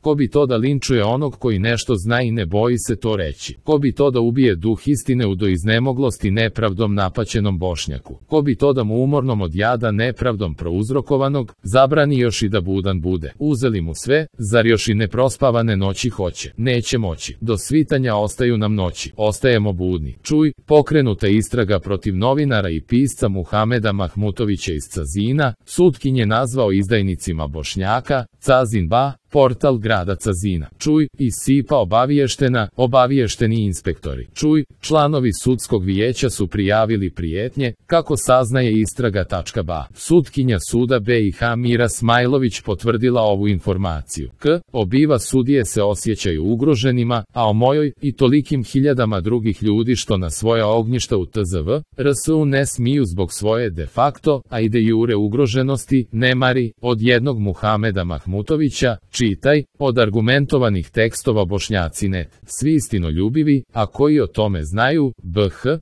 Ko bi to da linčuje onog koji nešto zna i ne boji se to reći? Ko bi to da ubije duh istine u do iznemoglosti nepravdom napaćenom Bošnjaku? Ko bi to da mu umornom od jada nepravdom prouzrokovanog zabrani još i da budan bude? Uzeli mu sve, zar još i neprospavane noći hoće? Neće moći. Do svitanja ostaju nam noći. Ostajemo budni. Čuj, pokrenuta istraga protiv novinara i pisca Muhameda Mahmutovića iz Cazina, sudkinje nazvao izdajnicima Bošnjaka, Cazin Ba, portal grada Cazina. Čuj, iz SIP-a obaviješteni inspektori. Čuj, članovi sudskog vijeća su prijavili prijetnje, kako saznaje istraga.ba. Sudkinja suda BiH Mira Smajlović potvrdila ovu informaciju. Obiva sudije se osjećaju ugroženima, a o mojoj i tolikim hiljadama drugih ljudi što na svoja ognjišta u TZV, RSU ne smiju zbog svoje de facto, a i de jure ugroženosti, nemari, od jednog Muhameda Mahmutovića, čitaj, od argumentovanih tekstova Bošnjaci.net, svi istinoljubivi, a koji o tome znaju,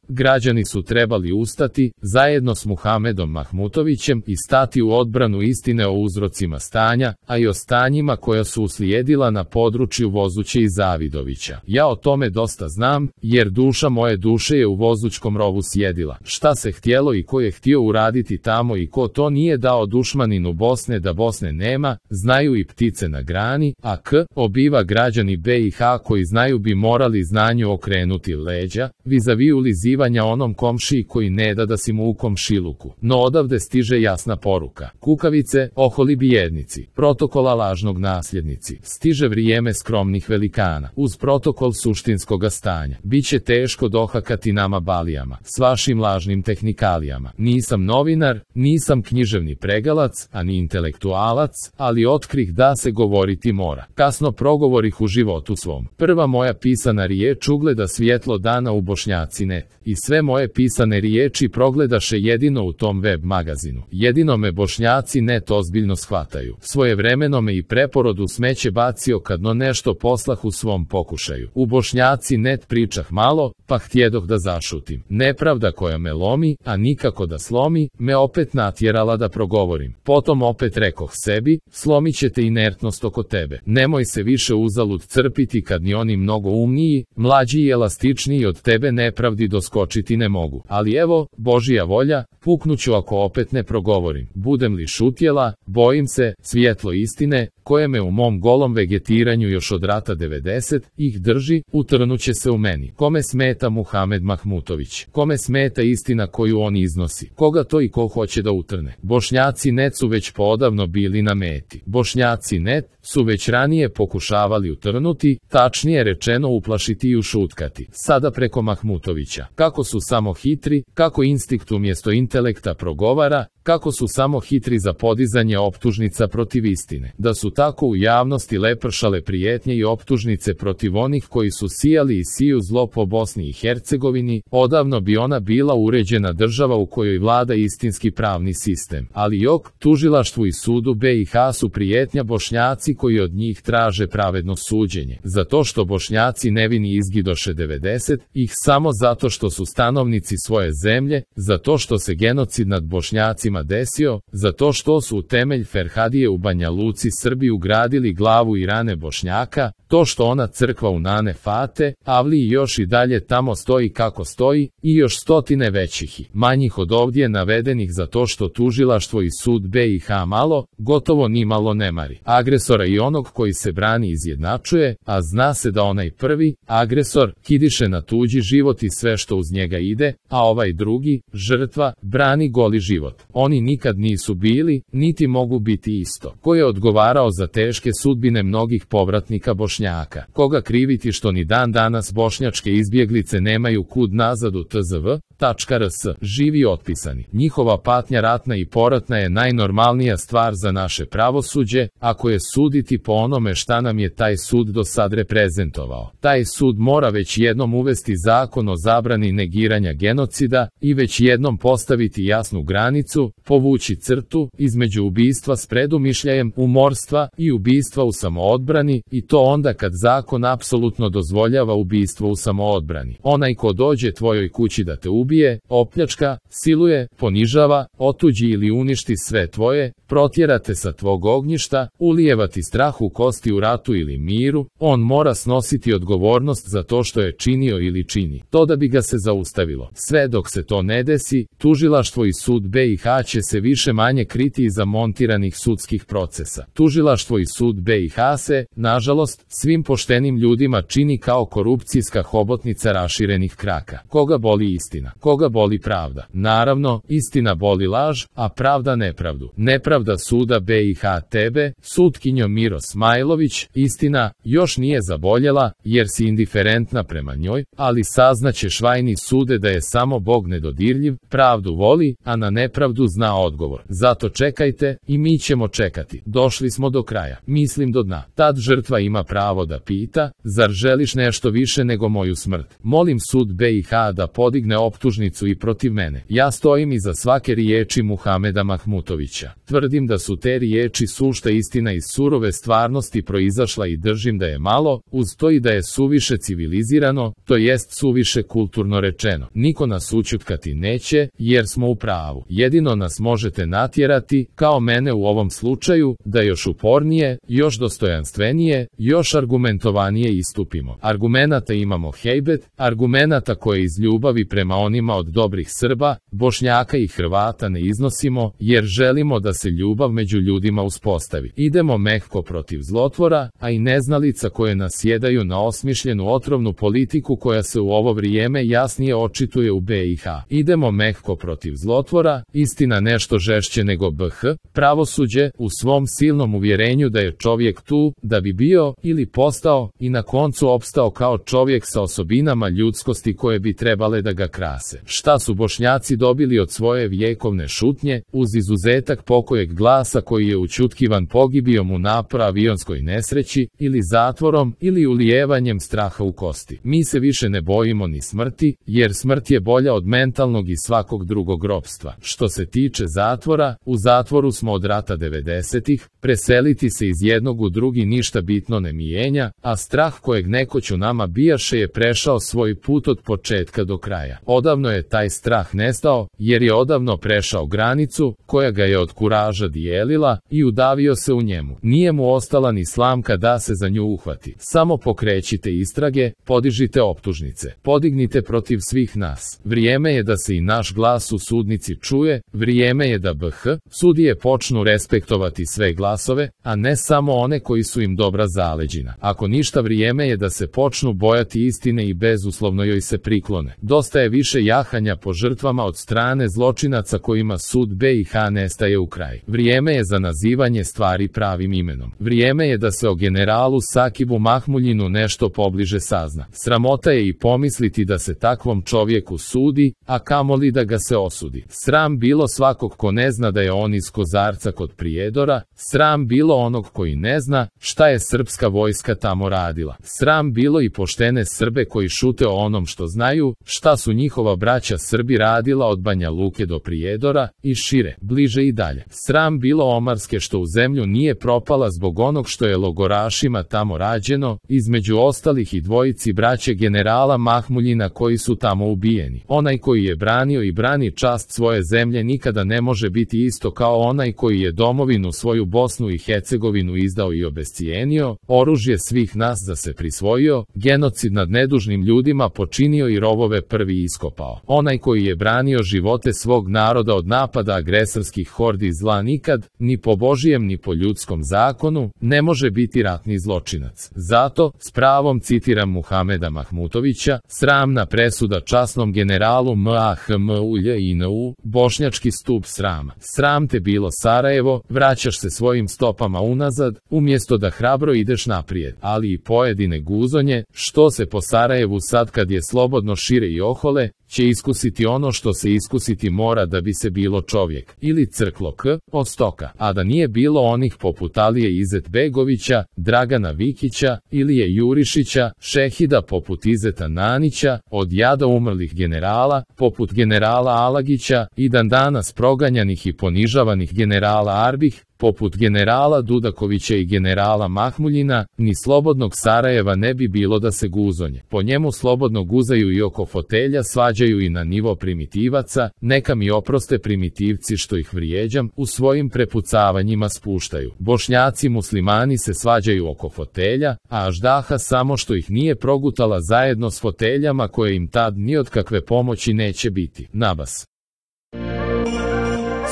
građani su trebali ustati, zajedno s Muhamedom Mahmutovićem i stati u odbranu istine o uzrocima stanja, a i o stanjima koja su uslijedila na području Vozuće i Zavidovića. Ja o tome dosta znam, jer duša moje duše je u Vozućkom rovu sjedila. Šta se htjelo i ko je htio uraditi tamo i ko to nije dao dušmaninu Bosne da Bosne nema, znaju i ptice na grani, a obiva građani BiH koji znaju bi morali znanju okrenuti leđa, vizavi ulizivanja onom komšiji koji ne da si mu u komšiluku. No odavde stiže jasna poruka. Kukavice, oholi bijednici, protokola lažnog nasljednici, stiže vrijeme skromnih velikana, uz protokol suštinskoga stanja. Biće teško dohakati nama balijama, s vašim lažnim tehnikalijama. Nisam novinar, nisam književni pregalac, ani intelektualac, ali otkrih da se govoriti mora. Kasno progovorih u životu svom. Prva moja pisana riječ ugleda svjetlo dana u Bošnjaci.net i sve moje pisane riječi progledaše jedino u tom web magazinu. Jedino me Bošnjaci.net ozbiljno shvataju. Svojevremeno me i preporodu smeće bacio kad no nešto poslah u svom pokušaju. U Bošnjaci.net pričah malo, pa htjedoh da zašutim. Nepravda koja me lomi, a nikako da slomi, me opet natjerala da progovorim. Potom opet rekoh sebi, slomit će te inertnost oko tebe. Nemoj se više uzalud crpiti kad ni oni mnogo umniji, mlađi i elastičniji od tebe nepravdi doskočiti ne mogu. Ali evo, Božija volja, puknuću ako opet ne progovorim. Budem li šutjela, bojim se, svjetlo istine, koje me u mom golom vegetiranju još od rata 90 ih drži, utrnuće se u meni. Kome smeta Muhamed Mahmutović? Kome smeta istina koju on iznosi? Koga to i ko hoće da utrne? Bošnjaci.net su već poodavno bili na meti. Bošnjaci.net su već ranije pokušavali utrnuti, tačnije rečeno uplašiti i ušutkati. Sada preko Mahmutovića. Kako su samo hitri, kako instinkt umjesto intelekta progovara, kako su samo hitri za podizanje optužnica protiv istine. Da su tako u javnosti lepršale prijetnje i optužnice protiv onih koji su sijali i siju zlo po Bosni i Hercegovini, odavno bi ona bila uređena država u kojoj vlada istinski pravni sistem. Ali jok, tužilaštvu i sudu BiH su prijetnja Bošnjaci koji od njih traže pravedno suđenje. Zato što Bošnjaci nevini izgidoše 90 ih samo zato što su stanovnici svoje zemlje, zato što se genocid nad Bošnjacima desio, zato što su u temelj Ferhadije u Banja Luci Srbi ugradili glavu i rane Bošnjaka, to što ona crkva u Nane Fate, Avliji još i dalje tamo stoji kako stoji, i još stotine većih i manjih od ovdje navedenih zato što tužilaštvo i sud BiH malo, gotovo ni malo ne mari agresora i onog koji se brani izjednačuje, a zna se da onaj prvi, agresor, kidiše na tuđi život i sve što uz njega ide, a ovaj drugi, žrtva, brani goli život. Oni nikad nisu bili, niti mogu biti isto. Ko je odgovarao za teške sudbine mnogih povratnika Bošnjaka? Koga kriviti što ni dan danas bošnjačke izbjeglice nemaju kud nazad u tzv.rs, živi otpisani. Njihova patnja ratna i poratna je najnormalnija stvar za naše pravosuđe, ako je suditi po onome šta nam je taj sud do sad reprezentovao. Taj sud mora već jednom uvesti zakon o zabrani negiranja genocida i već jednom postaviti jasnu granicu, povući crtu između ubistva s predumišljajem, umorstva i ubistva u samoodbrani, i to onda kad zakon apsolutno dozvoljava ubistvo u samoodbrani. Onaj ko dođe tvojoj kući da te ubije, ubije, opljačka, siluje, ponižava, otuđi ili uništi sve tvoje, protjerate sa tvog ognjišta, ulijevati strah u kosti u ratu ili miru, on mora snositi odgovornost za to što je činio ili čini. To da bi ga se zaustavilo. Sve dok se to ne desi, tužilaštvo i sud BiH će se više manje kriti iza montiranih sudskih procesa. Tužilaštvo i sud BiH se, nažalost, svim poštenim ljudima čini kao korupcijska hobotnica raširenih kraka. Koga boli istina? Koga boli pravda? Naravno, istina boli laž, a pravda nepravdu. Nepravda suda BiH tebe, sutkinjo Miro Smajlović, istina, još nije zaboljela, jer si indiferentna prema njoj, ali saznaćeš vajni sude da je samo Bog nedodirljiv, pravdu voli, a na nepravdu zna odgovor. Zato čekajte, i mi ćemo čekati. Došli smo do kraja. Mislim do dna. Tad žrtva ima pravo da pita, zar želiš nešto više nego moju smrt? Molim sud BiH da podigne optužnicu i protiv mene. Ja stojim iza svake riječi Muhameda Mahmutovića. Tvrdim da su te riječi sušta istina iz surove stvarnosti proizašla i držim da je malo, uz to i da je suviše civilizirano, to jest suviše kulturno rečeno. Niko nas ućutkati neće, jer smo u pravu. Jedino nas možete natjerati, kao mene u ovom slučaju, da još upornije, još dostojanstvenije, još argumentovanije istupimo. Argumenata imamo hejbet, argumenata koje iz ljubavi prema onima od dobrih Srba, Bošnjaka i Hrvata ne iznosimo, jer želimo da se ljubav među ljudima uspostavi. Idemo mehko protiv zlotvora, a i neznalica koje nasjedaju na osmišljenu otrovnu politiku koja se u ovo vrijeme jasnije očituje u BiH. Idemo mehko protiv zlotvora, istina nešto žešće nego BH, pravosuđe, u svom silnom uvjerenju da je čovjek tu, da bi bio, ili postao, i na koncu opstao kao čovjek sa osobinama ljudskosti koje bi trebale da ga krase. Šta su Bošnjaci dobili od svoje vjekovne šutnje, uz izuzetak pokojeg glasa koji je učutkivan pogibijom u napor avionskoj nesreći, ili zatvorom, ili ulijevanjem straha u kosti. Mi se više ne bojimo ni smrti, jer smrt je bolja od mentalnog i svakog drugog ropstva. Što se tiče zatvora, u zatvoru smo od rata 90-ih, preseliti se iz jednog u drugi ništa bitno ne mijenja, a strah kojeg nekoć u nama bijaše je prešao svoj put od početka do kraja. Odavno je taj strah nestao, jer je odavno prešao granicu, koja ga je od kuraža dijelila, i udavio se u njemu. Nije mu ostala ni slamka da se za nju uhvati. Samo pokrećite istrage, podižite optužnice, podignite protiv svih nas. Vrijeme je da se i naš glas u sudnici čuje, vrijeme je da BiH sudije počnu respektovati sve glasove, a ne samo one koji su im dobra zaleđina. Ako ništa, vrijeme je da se počnu bojati istine i bezuslovno joj se priklone. Dosta je više jahanja po žrtvama od strane zločinaca kojima sud BiH nestaje u kraj. Vrijeme je za nazivanje stvari pravim imenom. Vrijeme je da se o generalu Sakibu Mahmuljinu nešto pobliže sazna. Sramota je i pomisliti da se takvom čovjeku sudi, a kamoli da ga se osudi. Sram bilo svakog ko ne zna da je on iz Kozarca kod Prijedora, sram bilo onog koji ne zna šta je srpska vojska tamo radila. Sram bilo i poštene Srbe koji šute o onom što znaju, šta su njihova braća Srbi radila od Banja Luke do Prijedora, i šire, bliže i dalje. Sram bilo omarske što u zemlju nije propala zbog onog što je logorašima tamo rađeno, između ostalih i dvojici braće generala Mahmuljina koji su tamo ubijeni. Onaj koji je branio i brani čast svoje zemlje nikada ne može biti isto kao onaj koji je domovinu svoju Bosnu i Hercegovinu izdao i obescijenio, oružje svih nas za se prisvojio, genocid nad nedužnim ljudima počinio i rovove prvi iskopao. Onaj koji je branio živote svog naroda od napada agresorskih hordi zla nikad, ni po Božijem ni po ljudskom zakonu, ne može biti ratni zločinac. Zato, s pravom citiram Muhameda Mahmutovića, sramna presuda časnom generalu Mahmuljinu, bošnjački stup srama. Sram te bilo Sarajevo, vraćaš se svojim stopama unazad, umjesto da hrabro ideš naprijed. Ali i pojedine guzonje, što se po Sarajevu sad kad je slobodno šire i ohole, će iskusiti ono što se iskusiti mora da bi se bilo čovjek, ili crklo k, od stoka, a da nije bilo onih poput Alije Izetbegovića, Dragana Vikića, Ilije Jurišića, šehida poput Izeta Nanića, od jada umrlih generala, poput generala Alagića, i dan danas proganjanih i ponižavanih generala Arbih, Poput generala Dudakovića i generala Mahmuljina, ni slobodnog Sarajeva ne bi bilo da se guzonje. Po njemu slobodno guzaju i oko fotelja, svađaju i na nivo primitivaca, neka mi oproste primitivci što ih vrijeđam, u svojim prepucavanjima spuštaju. Bošnjaci muslimani se svađaju oko fotelja, a Aždaha samo što ih nije progutala zajedno s foteljama koje im tad ni od kakve pomoći neće biti. Nabas.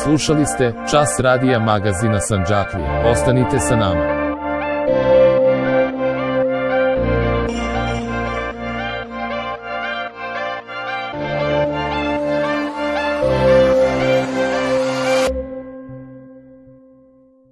Slušali ste Čas radija magazina Sandžaklija. Ostanite sa nama.